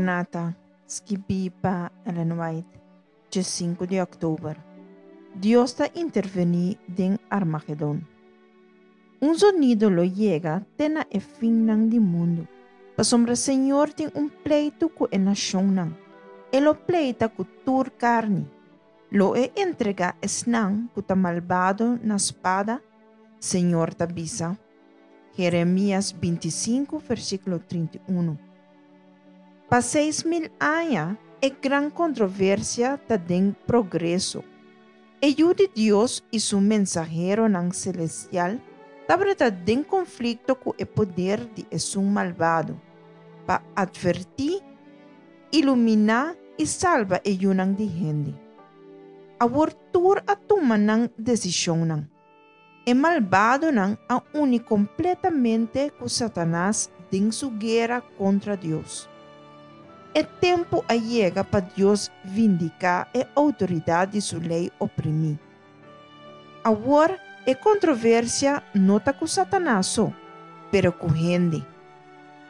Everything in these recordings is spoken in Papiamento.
Maranata, skibí pa Ellen White, 5 di òktober. Dios ta intervení den Armagedon. Un zonido lo yega te na e finnan di mundu, pasobra Señor tin un pleitu ku e nashonnan, E lo pleita ku tur karni. Lo E entregá esnan ku ta malbado na spada, Señor ta bisa. Jeremias 25 versíkulo 31. Pa 6000 aña e gran kontroversia ta den progreso. E Yu di Dios i su mensaheronan selestial tabata den konflikto ku e poder di esun malbado pa atvertí, iluminá i salba e yunan di hende. Awor tur a tuma nan desishonnan. E malbadonan a uni kompletamente ku Satanas den su guera kontra Dios. E tempu a yega pa Dios vindiká e outoridat di su lei oprimí. Awor e kontroversia no ta ku Satanas so, pero ku hende.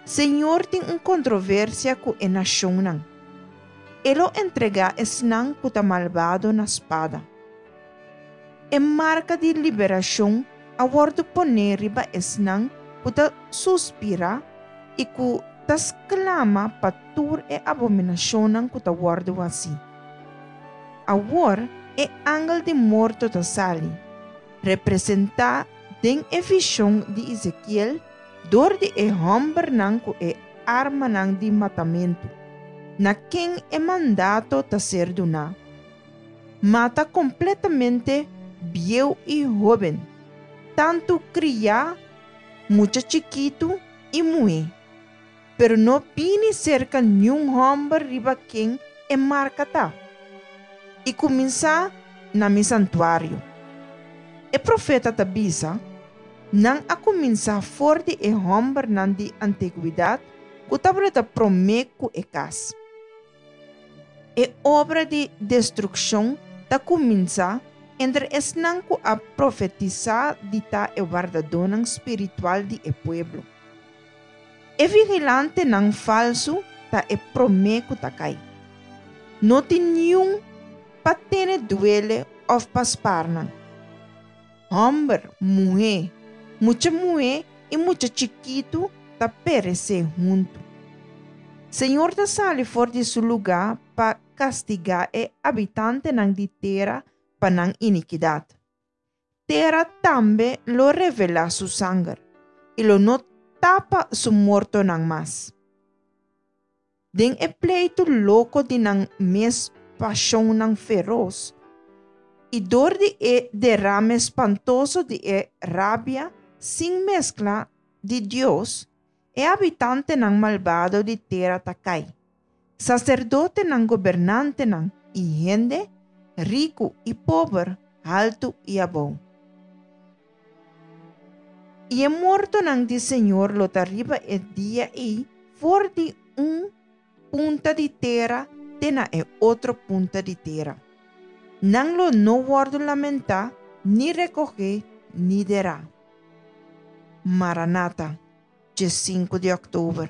Señor tin un kontroversia ku e nashonnan. E lo entregá esnan ku ta malbado na spada. E marka di liberashon a wòrdu poné riba esnan ku ta suspirá i ku ta sklama pa tur e abominashonnan ku ta wòrdu hasí. Awor e angel di morto ta sali, representá den e vishon di Ezekiel dor di e hòmbernan ku e armanan di matamentu, na ken e mandato ta ser duná. Mata kompletamente bieu i hóben, tantu kriá, mucha chikitu i muhé. Pero no bini serka niun hòmber riba ken e marka ta. I kuminsá na mi santuario. E profeta ta bisa, Nan a kuminsá for di e hòmbernan di antigwidat ku tabata promé ku e kas. E obra di destrukshon ta kuminsá entre esnan ku a profetisá di ta e wardadónan spiritual di e pueblo. E vigilantenan falsu ta e promé ku ta kai. No tin niun pa tene duele òf pa spar nan. Hòmber, muhé, mucha muhé i mucha chikitu ta peresé huntu. Señor ta sali for di su lugá pa kastigá e abitantenan di tera pa nan inikidat. Tera tambe lo revelá su sanger i lo no tapa su mortonan mas. Den e pleitu loko di nan mes pashonnan feros i dor di e derame spantoso di e rabia sin meskla di Dios, e habitantenan malbado di tera ta kai, saserdotenan, gobernantenan i hende, riku i pober, haltu i abou. I e mortonan di Señor lo ta riba e dia ei for di un punta di tera te na e otro punta di tera. Nan lo no wòrdu lamentá, ni rekogé, ni derá. Maranata, 5 di òktober.